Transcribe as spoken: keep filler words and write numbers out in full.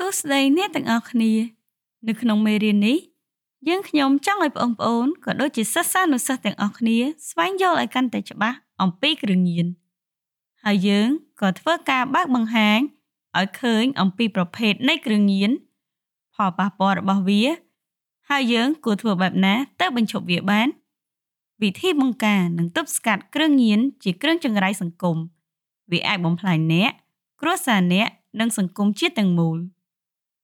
សួស្តីអ្នកទាំងអស់គ្នា នៅក្នុងមេរៀននេះ យើងខ្ញុំចង់ឲ្យបងប្អូនក៏ដូចជាសិស្សានុសិស្សទាំងអស់គ្នាស្វែងយល់ឲ្យកាន់តែច្បាស់អំពីគ្រឿងញៀន ហើយយើងក៏ធ្វើការបើកបង្ហាញឲ្យឃើញអំពីប្រភេទនៃគ្រឿងញៀន ផលប៉ះពាល់របស់វា ហើយយើងគួរធ្វើបែបណាទៅបញ្ឈប់វាបាន វិធីបង្ការនិងទប់ស្កាត់គ្រឿងញៀនជាគ្រឿងចង្រៃសង្គម វាអាចបំផ្លាញអ្នក គ្រួសារអ្នក និងសង្គមជាតិទាំងមូល។